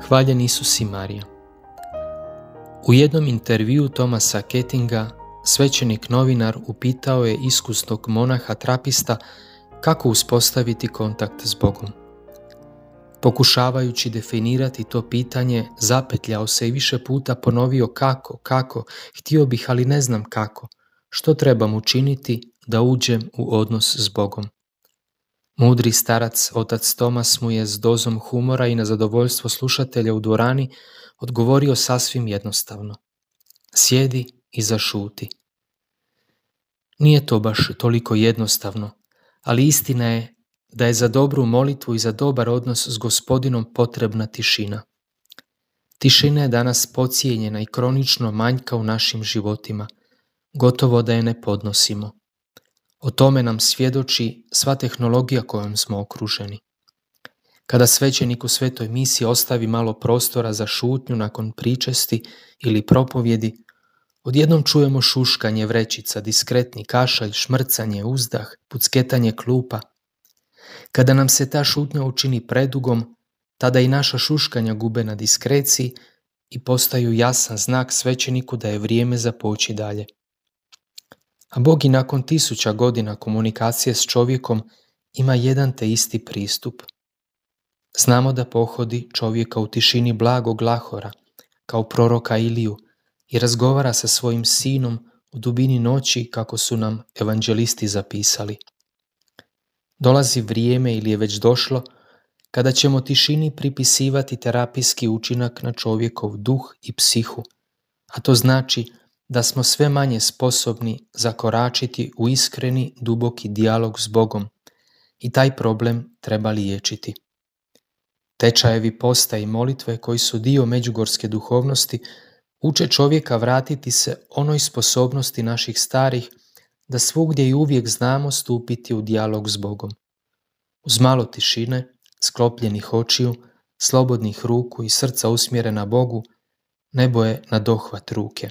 Hvaljen Isus i Marija. U jednom intervjuu Thomasa Kettinga, svećenik novinar upitao je iskusnog monaha trapista kako uspostaviti kontakt s Bogom. Pokušavajući definirati to pitanje, zapetljao se i više puta ponovio kako, htio bih, ali ne znam kako, što trebam učiniti da uđem u odnos s Bogom. Mudri starac, otac Tomas, mu je s dozom humora i na zadovoljstvo slušatelja u dvorani odgovorio sasvim jednostavno. Sjedi i zašuti. Nije to baš toliko jednostavno, ali istina je da je za dobru molitvu i za dobar odnos s Gospodinom potrebna tišina. Tišina je danas podcijenjena i kronično manjka u našim životima, gotovo da je ne podnosimo. O tome nam svjedoči sva tehnologija kojom smo okruženi. Kada svećenik u svetoj misiji ostavi malo prostora za šutnju nakon pričesti ili propovjedi, odjednom čujemo šuškanje vrećica, diskretni kašalj, šmrcanje, uzdah, pucketanje klupa. Kada nam se ta šutnja učini predugom, tada i naša šuškanja gube na diskreciji i postaju jasan znak svećeniku da je vrijeme za poći dalje. A Bog i nakon 1000 godina komunikacije s čovjekom ima jedan te isti pristup. Znamo da pohodi čovjeka u tišini blagog Lahora, kao proroka Iliju, i razgovara sa svojim sinom u dubini noći, kako su nam evanđelisti zapisali. Dolazi vrijeme, ili je već došlo, kada ćemo tišini pripisivati terapijski učinak na čovjekov duh i psihu, a to znači da smo sve manje sposobni zakoračiti u iskreni, duboki dijalog s Bogom i taj problem treba liječiti. Tečajevi posta i molitve, koji su dio međugorske duhovnosti, uče čovjeka vratiti se onoj sposobnosti naših starih da svugdje i uvijek znamo stupiti u dijalog s Bogom. Uz malo tišine, sklopljenih očiju, slobodnih ruku i srca usmjerena Bogu, nebo je na dohvat ruke.